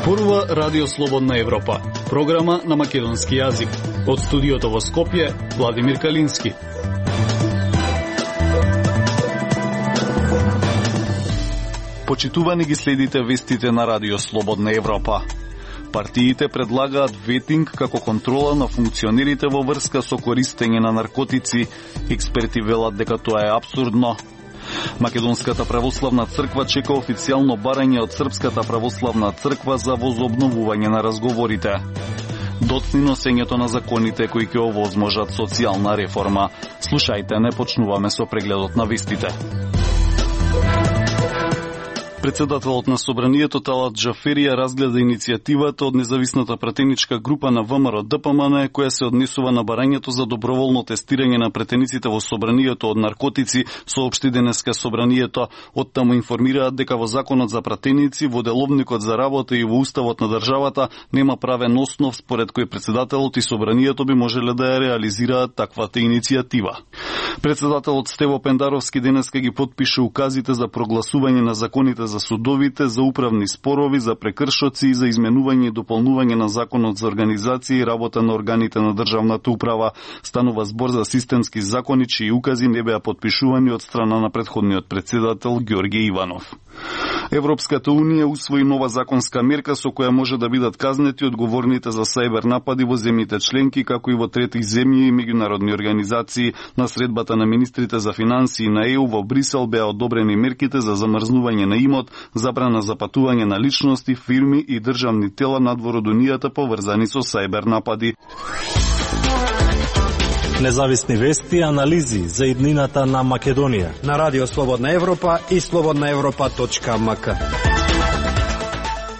Зборува Радио Слободна Европа, програма на македонски јазик. Од студиото во Скопје, Владимир Калински. Почитувани ги следите вестите на Радио Слободна Европа. Партиите предлагаат ветинг како контрола на функционерите во врска со користење на наркотици. Експерти велат дека тоа е апсурдно. Македонската православна црква чека официјално барање од Српската православна црква за возобновување на разговорите. Доцни носењето на законите кои ќе овозможат социјална реформа. Слушајте, не почнуваме со прегледот на вестите. Председателот на Собранието Талат Джаферија разгледа иницијативата од независната пратеничка група на ВМРО ДПМН која се однесува на барањето за доброволно тестирање на пратениците во Собранието од наркотици, соопшти денеска Собранието. Оттаму информираат дека во Законот за пратеници, во Деловникот за работа и во Уставот на државата нема правен основ според кој председателот и Собранието би можеле да ја реализираат таквата иницијатива. Председателот Стево Пендаровски денеска ги потпише указите за прогласување на законите за судовите, за управни спорови, за прекршоци и за изменување и дополнување на Законот за организација и работа на органите на државната управа. Станува збор за системски закони чии укази не беа потпишувани од страна на претходниот председател Ѓорѓе Иванов. Европската унија усвои нова законска мерка со која може да бидат казнети одговорните за сајбер напади во земјите членки, како и во трети земји и меѓународни организации. На средбата на министрите за финансии на ЕУ во Брисел беа одобрени мерките за замрзнување на имот, забрана за патување на личности, фирми и државни тела надвор од унијата поврзани со сајбер напади. Независни вести и анализи за иднината на Македонија на Радио Слободна Европа и slobodnaevropa.mk.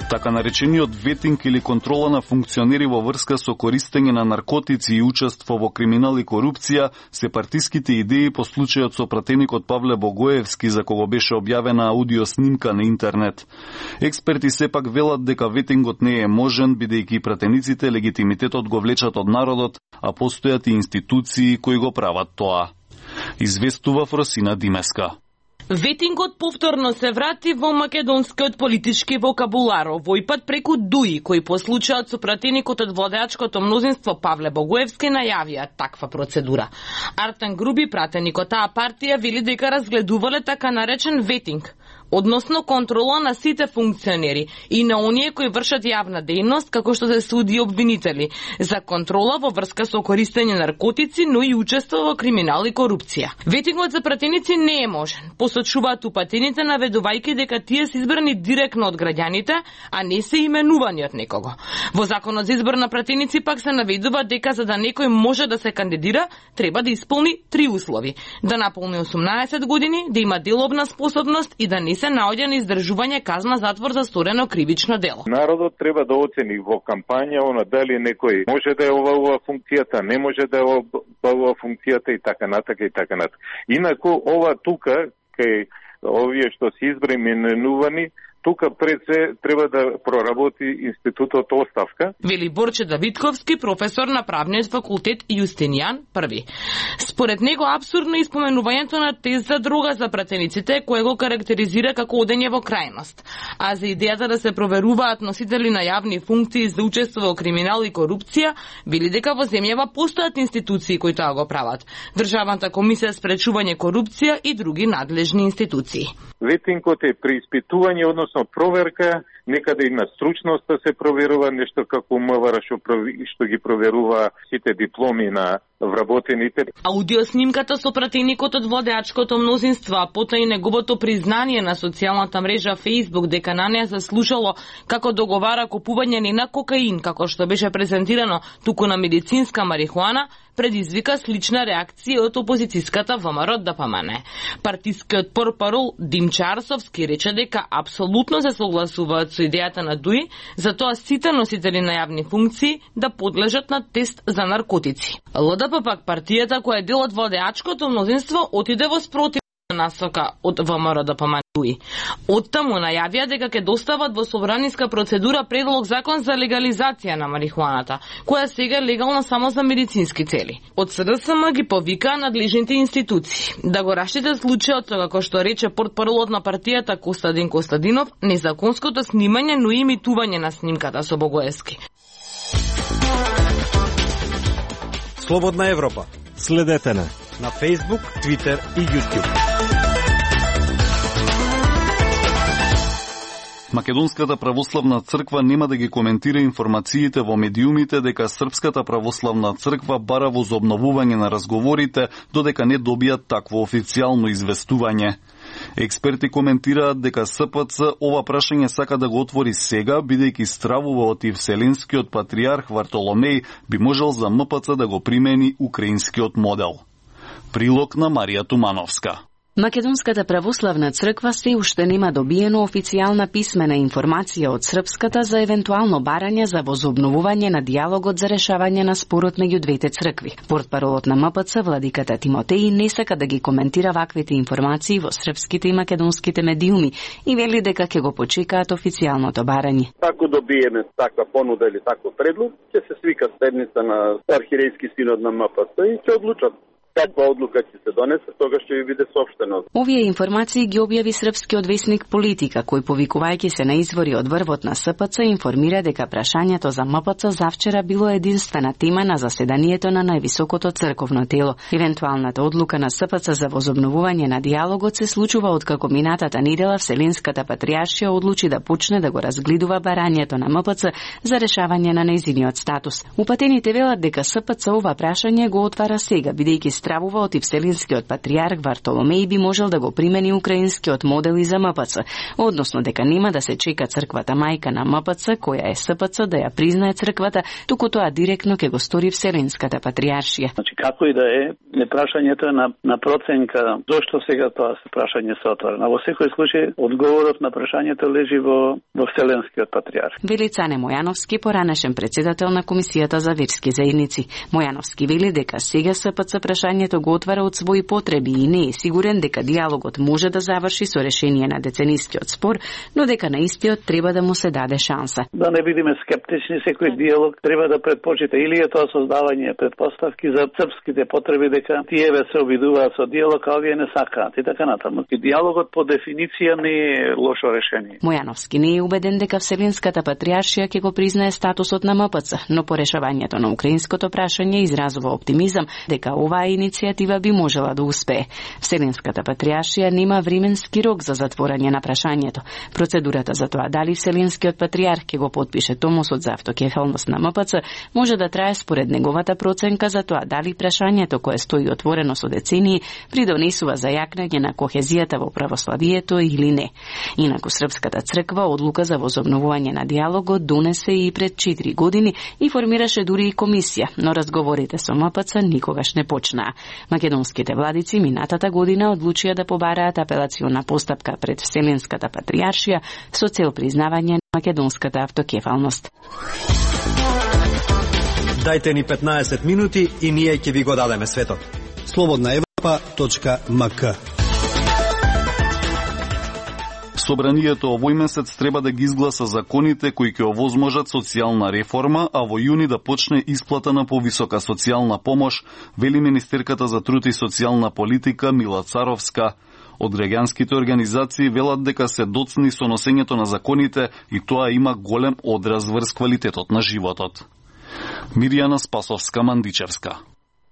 Така наречениот ветинг или контрола на функционери во врска со користење на наркотици и учество во криминал и корупција се партиските идеи по случајот со пратеникот Павле Богоевски за кого беше објавена аудио снимка на интернет. Експерти сепак велат дека ветингот не е можен бидејќи пратениците легитимитетот го влечат од народот, а постојат и институции кои го прават тоа. Известува Фросина Димеска. Ветингот повторно се врати во македонскиот политички вокабулар, овој пат преку ДУИ, кои по случајот со пратеникот од владеачкото мнозинство Павле Богоевски најавија таква процедура. Артан Груби, пратеник од таа партија, вели дека разгледувале така наречен ветинг, односно контрола на сите функционери и на оние кои вршат јавна дејност, како што се суди обвинители, за контрола во врска со користење наркотици, но и учество во криминал и корупција. Ветингот за пратеници не е можен, посочуваат упатените наведувајќи дека тие се избрани директно од граѓаните, а не се именувани од некого. Во Законот за избор на пратеници пак се наведува дека за да некој може да се кандидира, треба да исполни 3 услови: да наполни 18 години, да има деловна способност и да не се наоѓа на издржување казна затвор за сторено кривично дело. Народот треба да оцени во кампања дали некој може да е ова функцијата, не може да е ова функцијата и така натака и така натака. Инаку ова тука кај овие што се именувани, тука пред се треба да проработи институтот оставка. Вели Борче Давидковски, професор на правниот факултет Јустинијан I. Според него апсурдно е испоменувањето на тест за дрога за пратениците, кое го карактеризира како одење во крајност. А за идејата да се проверуваат носители на јавни функции за учество во криминал и корупција, вели дека во земјава постојат институции кои тоа го прават: Државната комисија спречување корупција и други надлежни институции. Ветингот е преиспитување, односно проверка, некаде и на стручноста се проверува, нешто како МВР што ги проверува сите дипломи на вработените. Аудиоснимката со пратеникот од владеачкото мнозинство, а потоа и неговото признание на социјалната мрежа Facebook дека на неа се слушало како договара купување не на кокаин, како што беше презентирано, туку на медицинска марихуана, предизвика слична реакција од опозицијската ВМРО ДПМН. Партискиот портпарол Димче Арсовски рече дека апсолутно се согласуваат со идејата на ДУИ, затоа сите носители на јавни функции да подлежат на тест за наркотици. ЛДП пак, партијата која е дел од владеачкото мнозинство, отиде во спротивна насока од ВМРО ДПМН. Оттаму најавија дека ќе достават во собраниска процедура предлог закон за легализација на марихуаната, која сега е легална само за медицински цели. Од СДСМ ги повикаа надлежните институции да го раштитат случајот со, како што рече портпаролот на партијата Костадин Костадинов, незаконското снимање, но и имитување на снимката со Богоевски. Слободна Европа. Следете на Facebook, Twitter и YouTube. Македонската православна црква нема да ги коментира информациите во медиумите дека Српската православна црква бара возобновување на разговорите додека не добијат такво официјално известување. Експерти коментираат дека СПЦ ова прашање сака да го отвори сега, бидејќи стравува од Вселенскиот патриарх Вартоломеј би можел за МПЦ да го примени украинскиот модел. Прилог на Марија Тумановска. Македонската православна црква се уште нема добиено официјална писмена информација од Српската за евентуално барање за возобновување на диалогот за решавање на спорот меѓу двете цркви. Портпаролот на МПЦ, владиката Тимотеј, не сака да ги коментира ваквите информации во српските и македонските медиуми и вели дека ќе го почекаат официјалното барање. Ако добиеме таква понуда или таков предлог, ќе се свика седница на архиерејски синод на МПЦ и ќе одлучат каква одлука ќе се донесе, тогаш ќе ви биде соопштено. Овие информации ги објави српскиот весник Политика, кој повикувајќи се на извори од врвот на СПЦ информира дека прашањето за МПЦ завчера било единствена тема на заседанието на највисокото црковно тело. Евентуалната одлука на СПЦ за возобновување на диалогот се случува откако минатата недела Вселенската патријаршија одлучи да почне да го разгледува барањето на МПЦ за решавање на нејзиниот статус. Упатените велат дека СПЦ ова прашање го отвара сега, бидејќи стравува од Вселенскиот патриарх Вартоломеј би можел да го примени украинскиот модел и за МПЦ, односно дека нема да се чека црквата мајка на МПЦ, која е СПЦ, да ја признае црквата, туку тоа директно ќе го стори Вселенската патријаршија. Значи, како и да е, прашањето е на проценка зошто сега тоа прашање се отвора. Во секој случај, одговорот на прашањето лежи во Вселенскиот патриарх. Вели Цане Мојановски, поранешен председател на Комисијата за верски заедници. Мојановски вели дека сега СПЦ прашањето го отвара од своји потреби и не е сигурен дека диалогот може да заврши со решение на деценискиот спор, но дека на истиот треба да му се даде шанса. Да не бидеме скептични, секој диалог треба да предпочита или е тоа создавање предпоставки за српските потреби дека тие се обидуваат со диалог, а овие не сакаат и така натаму. Диалогот по дефиниција не е лошо решение. Мојановски не е убеден дека Вселенската патријаршија ќе го признае статусот на МПЦ, но по решавањето на украинското прашање изразува оптимизам дека оваа иницијатива би можела да успее. Вселенската патријаршија нема временски рок за затворање на прашањето. Процедурата за тоа дали Вселенскиот патријарх ќе го потпише томосот за автокефалност на МПЦ може да трае според неговата проценка за тоа дали прашањето кое стои отворено со децении придонесува за јакнење на кохезијата во православието или не. Инаку Српската црква одлука за возобновување на диалогот донесе и пред 4 години и формираше дури и комисија, но разговорите со МПЦ никогаш не почнаа. Македонските владици минатата година одлучија да побараат апелациона постапка пред Вселенската патријаршија со цел признавање на македонската автокефалност. Дајте ни 15 минути и ние ќе ви го дадеме светот. slobodnaevropa.mk. Собранието овој месец треба да ги изгласа законите кои ќе овозможат социјална реформа, а во јуни да почне исплата на повисока социјална помош, вели министерката за труд и социјална политика Мила Царовска. Од граѓанските организации велат дека се доцни со носењето на законите и тоа има голем одраз врз квалитетот на животот. Мирјана Спасовска-Мандичевска.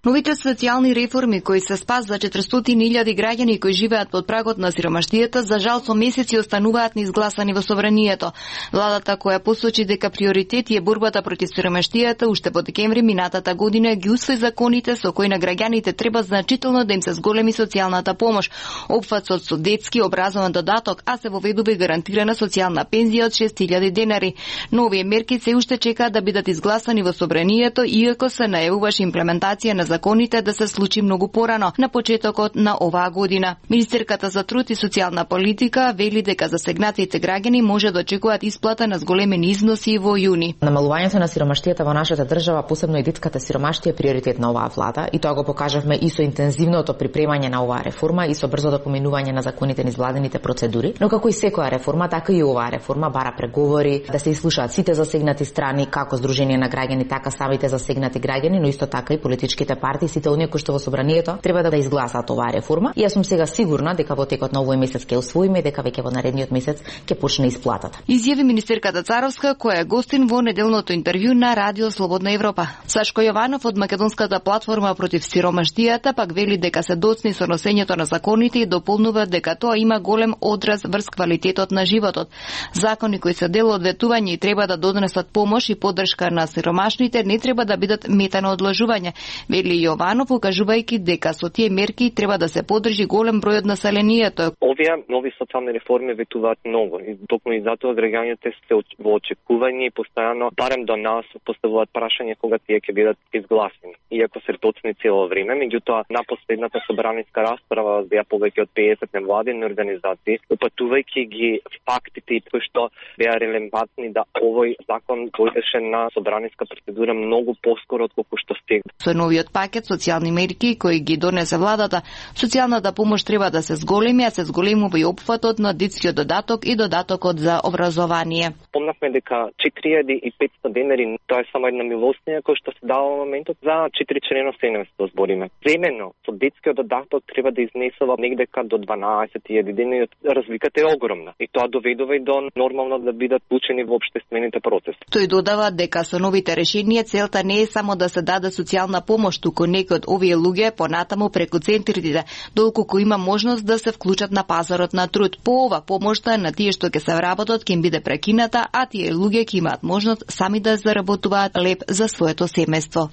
Новите социјални реформи кои се спас за 400.000 граѓани кои живеат под прагот на сиромаштијата, за жал со месеци остануваат неизгласани во собранието. Владата која посочи дека приоритет е борбата против сиромаштијата, уште во декември минатата година ги усвои законите со кои на граѓаните треба значително да им се зголеми социјалната помош, опфатот со детски образован додаток, а се воведува и гарантирана социјална пензија од 6.000 денари. Но овие мерки се уште чекаат да бидат изгласани во собранието, иако се најавуваше имплементација на законите да се случи многу порано, на почетокот на оваа година. Министерката за труд и социјална политика вели дека засегнатите граѓани може да очекуваат исплата на зголемени износи во јуни. Намалувањето на сиромаштијата во нашата држава, посебно и детската сиромаштија, е приоритет на оваа влада и тоа го покажавме и со интензивното припремање на оваа реформа и со брзото поминување на законите низ владините процедури. Но како и секоја реформа, така и оваа реформа бара преговори, да се ислушаат сите засегнати страни, како Сдружение на граѓани, така самите засегнати граѓани, но исто така и политичките партии, сите оние кои што во собранието треба да изгласаат оваа реформа. И јас сум сега сигурна дека во текот на овој месец ќе усвоиме, дека веќе во наредниот месец ќе почне исплатата. Изјави министерката Царовска, која е гостин во неделното интервју на Радио Слободна Европа. Сашко Јованов од Македонската платформа против сиромаштијата пак вели дека се доцни со носењето на законите и дополнува дека тоа има голем одраз врз квалитетот на животот. Закони кои се дел од ветување и треба да донесат помош и поддршка на сиромашните не треба да бидат мета на одложување, вели Јованов, укажувајќи дека со тие мерки треба да се поддржи голем број од населението. Овие нови социјални реформи ветуваат многу и токму и затоа граѓаните се во очекување и постојано барем до нас поставуваат прашање кога тие ќе бидат изгласени. Иако се доцни цело време, меѓутоа на последната собраниска расправа беа повеќе од 50 невладини организации, упатувајќи ги фактите и кои што беа релевантни да овој закон дојдеше на собраниска процедура многу поскоро отколку што стигна. Со новиот пакет социјални мерки кои ги донесе владата, социјалната помош треба да се зголеми, а се зголемува и опфатот на детскиот додаток и додатокот за образование. Помнавме дека 4500 денари, тоа е само една милостија која што се дава во моментот за 4 члено семејство збориме. Времено со детскиот додаток треба да изнесува негдека до 12.000 денари, разликата е огромна и тоа доведува и до нормално да бидат вклучени во општествените процеси. Тој додава дека со новите решенија целта не е само да се даде социјална помош, туку некои од овие луѓе понатаму преку центрите, доколку има можност да се вклучат на пазарот на труд. По ова помошта на тие што ќе се вработат ќе им биде прекината, а тие луѓе ќе имаат можност сами да заработуваат леп за своето семејство.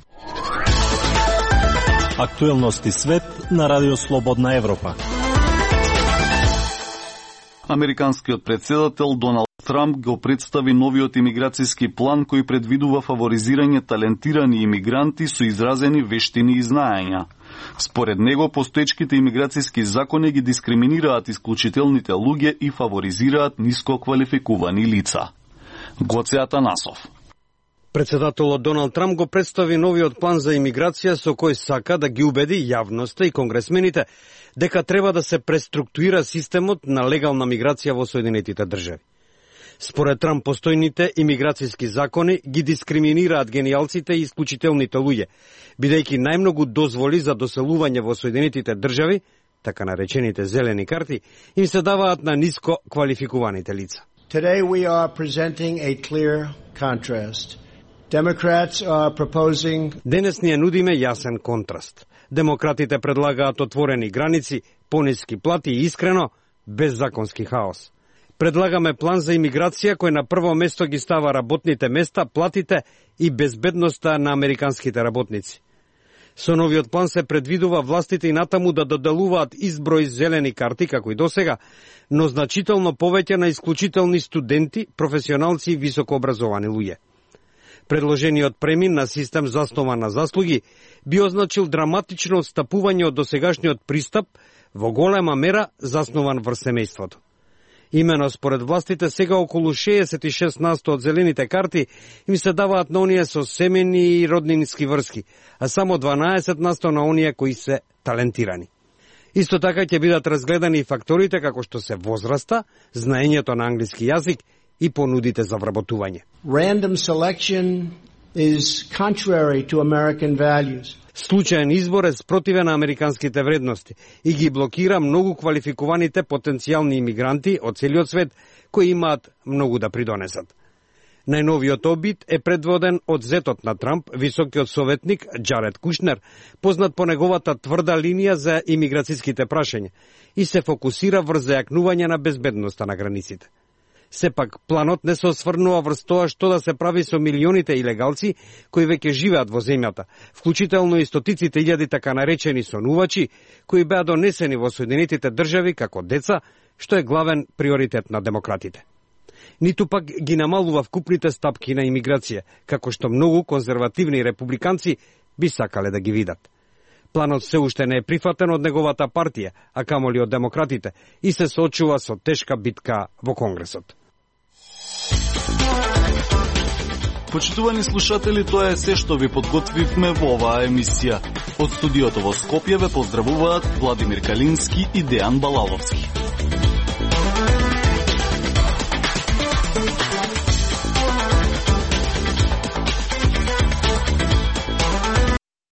Актуелности свет на Радио Слободна Европа. Американскиот претседател Доналд Трамп го представи новиот имиграцијски план кој предвидува фаворизирање талентирани имигранти со изразени вештини и знаења. Според него, постоечките имиграцијски закони ги дискриминираат исклучителните луѓе и фаворизираат ниско квалификувани лица. Гоце Атанасов. Председателот Доналд Трамп го представи новиот план за имиграција со кој сака да ги убеди јавноста и конгресмените дека треба да се преструктурира системот на легална миграција во Соединетите држави. Според Трамп, постојните имиграцијски закони ги дискриминираат генијалците и исклучителните луѓе, бидејќи најмногу дозволи за доселување во Соединетите држави, така наречените зелени карти, им се даваат на ниско квалификуваните лица. Today we are presenting a clear contrast. Democrats are proposing... Денес ние нудиме јасен контраст. Демократите предлагаат отворени граници, пониски плати и искрено, без законски хаос. Предлагаме план за имиграција кој на прво место ги става работните места, платите и безбедноста на американските работници. Со новиот план се предвидува властите и натаму да доделуваат изброј зелени карти, како и досега, но значително повеќе на исклучителни студенти, професионалци и високообразовани луѓе. Предложениот премин на систем заснова на заслуги би означил драматично отстапување од досегашниот пристап во голема мера заснован врз семејството. Имено според властите сега околу 66% од зелените карти им се даваат на оние со семени и роднински врски, а само 12% на оние кои се талентирани. Исто така ќе бидат разгледани и факторите како што се возраста, знаењето на англиски јазик и понудите за вработување. Random selection is contrary to American values. Случаен избор е спротивен на американските вредности и ги блокира многу квалификуваните потенцијални имигранти од целиот свет кои имаат многу да придонесат. Најновиот обид е предводен од зетот на Трамп, високиот советник Джаред Кушнер, познат по неговата тврда линија за имиграцијските прашања и се фокусира врз зајакнување на безбедноста на границите. Сепак, планот не се осврнува врз тоа што да се прави со милионите илегалци кои веќе живеат во земјата, вклучително и стотиците илјади така наречени сонувачи, кои беа донесени во Соединетите држави како деца, што е главен приоритет на демократите. Ниту пак ги намалува вкупните стапки на имиграција, како што многу конзервативни републиканци би сакале да ги видат. Планот се уште не е прифатен од неговата партија, а камоли од демократите, и се соочува со тешка битка во Конгресот. Почитувани слушатели, тоа е се што ви подготвивме во оваа емисија. Од студиото во Скопје ве поздравуваат Владимир Калински и Дејан Балаловски.